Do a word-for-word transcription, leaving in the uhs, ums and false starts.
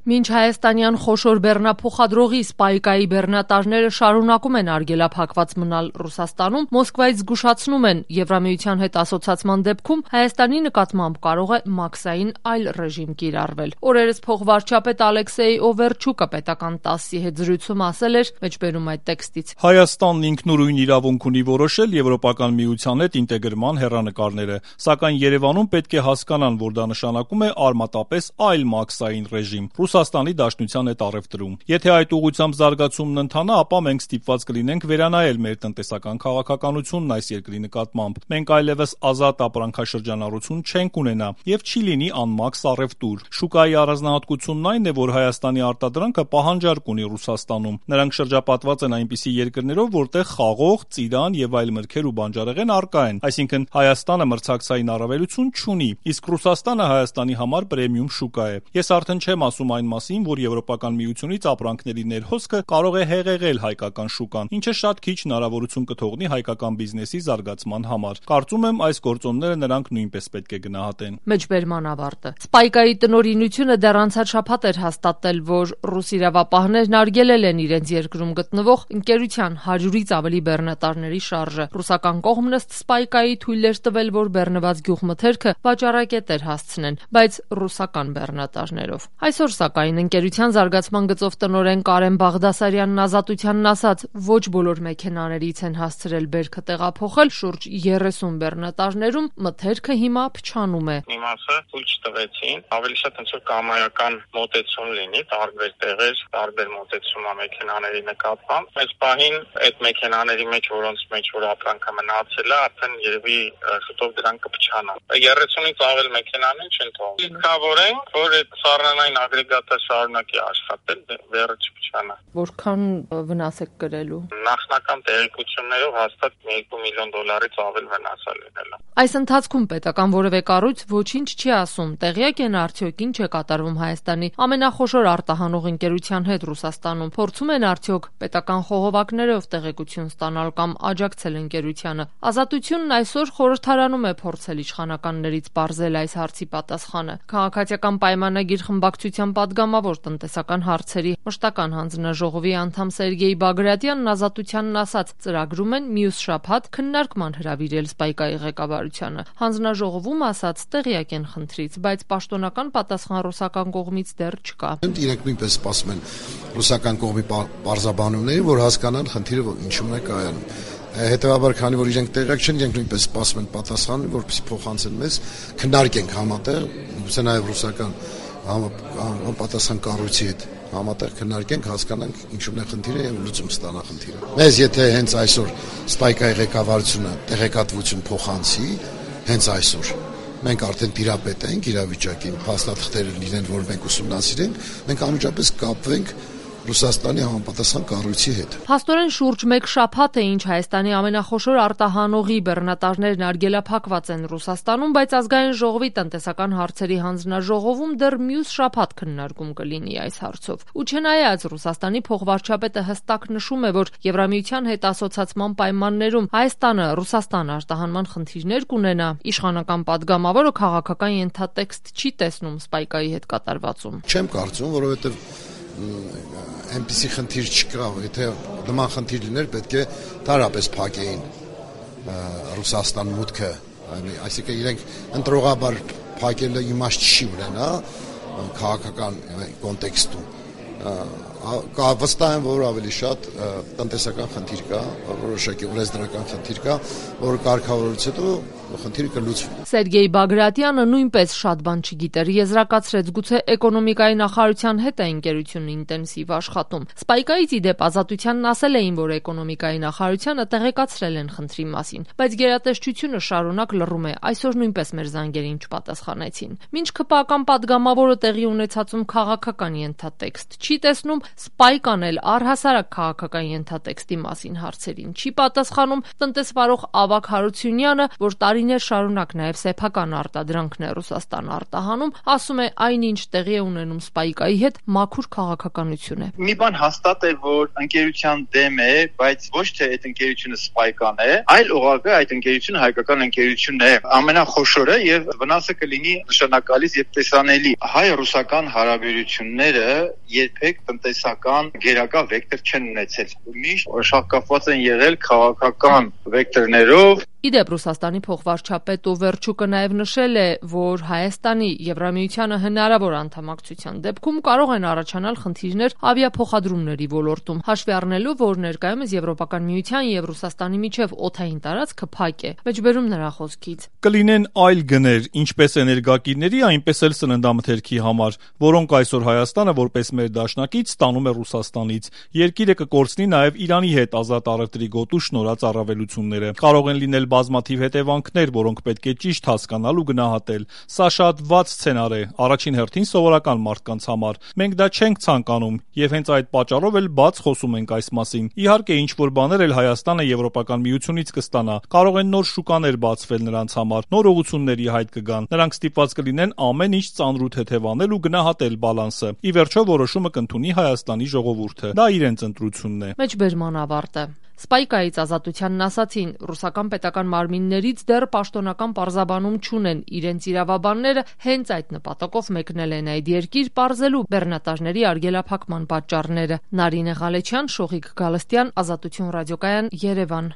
Մինչ հայաստանյան խոշոր բեռնափոխադրողի Սպայկայի բեռնատաժները շարունակում են արգելափակված մնալ Ռուսաստանում, Մոսկվայից զգուշացնում են Եվրամիության հետ ասոցացման դեպքում Հայաստանի նկատմամբ կարող է մաքսային այլ ռեժիմ կիրառվել։ Օրերս փոխվարչապետ Ալեքսեյ Օվերչուկը պետական տասի հետ զրույցում ասել էր, մեջբերում այդ տեքստից. Հայաստանն ինքնուրույն իրավունք ունի որոշել Եվրոպական միության հետ ինտեգրման հեռանկարները, սակայն Երևանում պետք է հասկանան, որ դա նշանակում է արմատապես այլ մաքսային ռեժիմ Ռուսաստանի Դաշնության հետ առևտրում։ Եթե այդ ուղղությամբ զարգացումն ընթանա, ապա մենք ստիպված կլինենք վերանայել մեր տնտեսական քաղաքականությունն այս երկրի նկատմամբ։ Մենք այլևս ազատ ապրանքաշրջանառություն չենք ունենա եւ չի լինի անմաքս առևտուր։ Շուկայի առանձնահատկությունն այն է, որ Հայաստանի արտադրանքը պահանջարկ ունի Ռուսաստանում։ Նրանք շրջապատված են այնպիսի երկրներով, որտեղ խաղող, ծիրան եւ այլ մրգեր ու բանջարեղեն առկա են, այսինքն Հայաստանը մրցակցային առավելություն չունի, իսկ Ռուսաստանը Հայաստանի համար պրեմիում շուկա է։ Ես արդեն չեմ ասում այն մասին, որ Եվրոպական միությունից ապրանքների ներհոսքը կարող է հեղեղել հայկական շուկան, ինչը շատ քիչ հնարավորություն կթողնի հայկական բիզնեսի զարգացման համար։ Կարծում եմ, այս գործոնները նրանք նույնպես պետք է գնահատեն։ Մեջբերման ավարտը։ Սպայկայի տնօրինությունը դեռ անցած շաբաթ էր հաստատել, որ ռուս իրավապահներն արգելել են իրենց երկրում գտնվող ընկերության հարյուրից ավելի բեռնատարների շարժը։ Ռուսական կողմն ըստ Սպայկայի թույլ էր տվել, որ բեռնված գյուղմթերքը վաճառակետեր հասցնեն, բայց ռուսական բեռնատարներով։ Այսօր սակայն ընկերության զարգացման գծով տնօրեն Կարեն Բաղդասարյանն Ազատությանն ասաց, ոչ բոլոր մեքենաներից են հասցրել բերքը տեղափոխել, շուրջ երեսուն բեռնատարներում մթերքը հիմա փչանում է։ Մի մասը թույլ չտվեցին, ավելի շատ ոնց որ կամայական մոտեցում լինի, տարբեր տեղեր, տարբեր մոտեցում է մեքենաների նկատմամբ։ Այս պահին այդ մեքենաների մեջ, որոնց մեջ որ ապրանքը մնացել է, արդեն երևի շուտով դրանք կփչանան։ երեսունից ավել մեքենաներ չեն թողնի։ Ինքնավոր են, որ այդ սառնային ագրեգատը շարունակի աշխատել, վերը չփչանա։ Որքան վնաս եք կրելու։ Նախնական տեղեկություններով հաստատ երկու միլիոն դոլարից ավել վնաս է լինելու։ Այս ընթացքում պետական որևէ կառույց ոչինչ չի ասում, տեղյակ են արդյոք ինչ է կատարվում Հայաստանի ամենախոշոր արտահանող ընկերության հետ Ռուսաստանում, փորձում են արդյոք պետական խողովակներով տեղեկություն ստանալ կամ աջակցել ընկերությանը։ Ազատությունն այսօր խորհրդարանում է փորձել իշխանականներից բարձել այս հարցի պատասխանը։ Քաղաքացիական պայմանագիր խմբակցության պատգամավոր տնտեսական հարցերի մշտական հանձնաժողովի անդամ Սերգեյ Բագրատյանն Ազատությանն ասաց, ծրագրում են մյուս շաբաթ քննարկման հրավիրել Սպայկայի ղեկավարությանը։ Հանձնաժողովում ասաց, տեղյակ են խնդրից, բայց պաշտոնական պատասխան ռուսական կողմից դեռ չկա։ Իրենք նույնպես սպասում են ռուսական կողմի պարզաբանումների, որ հասկանան խնդիրը ինչու՞մն է կայանում։ Հետևաբար, քանի որ իրենք տեղյակ չեն, իրենք նույնպես սպասում են պատասխանը, որպեսզի փոխանցեն մեզ, քննարկենք համատեղ, գուցե նաև ռուսական պատասխան կառույցի հետ համատեղ քննարկենք, հասկանանք ինչու՞մն է խնդիրը եւ լուծում ստանա խնդիրը։ Մեզ եթե հենց այսօր Սպայկայի ղեկավարությունը տեղեկատվություն փոխանցի, հենց այսօր մենք արդեն տիրապետ ենք իրավիճակին, փաստաթղթերը լինեն, որ մենք ուսումնասիրենք, մենք անմիջապես կապվենք Ռուսաստանի համապատասխան կառույցի հետ։ Փաստորեն շուրջ մեկ շաբաթ է ինչ Հայաստանի ամենախոշոր արտահանողի բեռնատարներն արգելափակված են Ռուսաստանում, բայց ազգային ժողովի տնտեսական հարցերի հանձնաժողովում դեռ մյուս շաբաթ քննարկում կլինի այս հարցով։ Ու չնայած Ռուսաստանի փոխվարչապետը հստակ նշում է, որ Եվրամիության հետ ասոցացման պայմաններում Հայաստանը Ռուսաստան արտահանման խնդիրներ կունենա, իշխանական падգամավորը քաղաքական ենթատեքստ չի տեսնում Սպայկայի հետ կատարվածում։ Չեմ կարծում, որովհետև այնպիսի խնդիր չկա, եթե նման խնդիր լիներ, պետք է տարապես փակեին Ռուսաստան մուտքը, այսինքն իրենք ընտրողաբար փակելը իմաստ չի ունենա քաղաքական կոնտեքստում։ Վստահ եմ, որ ավելի շատ տնտեսական խնդիր կա, որոշակի օրենսդրական խնդիր կա, որ կարգավորելուց հետո խնդիրը կլուծվի։ Սերգեյ Բագրատյանը նույնպես շատ բան չգիտեր, եզրակացրեց, գուցե էկոնոմիկայի նախարարության հետ է ընկերությունը ինտենսիվ աշխատում։ Սպայկայից ի դեպ Ազատությանն ասել էին, որ էկոնոմիկայի նախարարությանը տեղեկացրել են խնդրի մասին, բայց գերատեսչությունը շարունակ լռում է, այսօր նույնպես մեր զանգերին չպատասխանեցին։ Մինչ ԿՊԱ-կան падգամավորը տեղի ունեցածում քաղաքական ենթատեքստ չի տեսնում, Սպայկան էլ առհասարակ քաղաքական ենթատեքստի մասին հարցերին չի պատասխանում, տնտեսվարող Ավագ Հարությունյանը, որ տարի տարիներ շարունակ նաև սեփական արտադրանքն է Ռուսաստան արտահանում, ասում է այնինչ տեղի է ունենում Spike-ի հետ մաքուր քաղաքականություն է։ Մի բան հաստատ է, որ ընկերության դեմ է, բայց ոչ թե այդ ընկերությունը Spike-ան է, այլ ուղղակի այդ ընկերությունը հայկական ընկերությունն է, ամենախոշորը եւ վնասը կլինի նշանակալից եւ տեսանելի։ Հայ-ռուսական հարաբերությունները երբեք տնտեսական գերակա վեկտոր չեն ունեցել։ Միշտ շահկապված են եղել քաղաքական վեկտորներով։ Իդեպ Ռուսաստանի փոխվարչապետ ու Վերչուկը նաև նշել է, որ Հայաստանի Եվրամիությանը հնարավոր անդամակցության դեպքում կարող են առաջանալ խնդիրներ ավիափոխադրումների ոլորտում, հաշվի առնելով, որ ներկայումս Եվրոպական միության եւ Ռուսաստանի միջև օդային տարածքը փակ է։ Մեջբերում նրա խոսքից։ Կլինեն այլ գներ, ինչպես էներգակիրների, այնպես էլ սննդամթերքի համար, որոնք այսօր Հայաստանը որպես մեր դաշնակից ստանում է Ռուսաստանից։ Երկիրը կկորցնի նաև Իրանի հետ ազատ առևտրի գոտու շնորհած առավելությունները։ Կարող են լինել բազմաթիվ հետևանքներ, որոնք պետք է ճիշտ հասկանալ ու գնահատել։ Սա շատ վատ սցենար է, առաջին հերթին սովորական մարդկանց համար։ Մենք դա չենք ցանկանում եւ հենց այդ պատճառով էլ բաց խոսում ենք այս մասին։ Իհարկե, ինչ որ բաներ էլ Հայաստանը Եվրոպական միությունից կստանա։ Կարող են նոր շուկաներ բացվել նրանց համար, նոր ուղղությունների հայտ կգան։ Նրանք ստիպված կլինեն ամեն ինչ ծանրութ հետևանել ու գնահատել բալանսը։ Ի վերջո որոշումը կընդունի Հայաստանի ժողովուրդը։ Դա իրենց ընտրությունն է։ Մեջբերման ավարտը։ Spike-ից ազատությանն ասացին, ռուսական պետական մարմիններից դեռ պաշտոնական պարզաբանում չունեն, իրենց իրավաբանները հենց այդ նպատակով մեկնել են այդ երկիր պարզելու բեռնատարների արգելափակման պատճառները։ Նարինե Ղալեչյան, Շողիկ Գալստյան, Ազատություն ռադիոկայան, Երևան։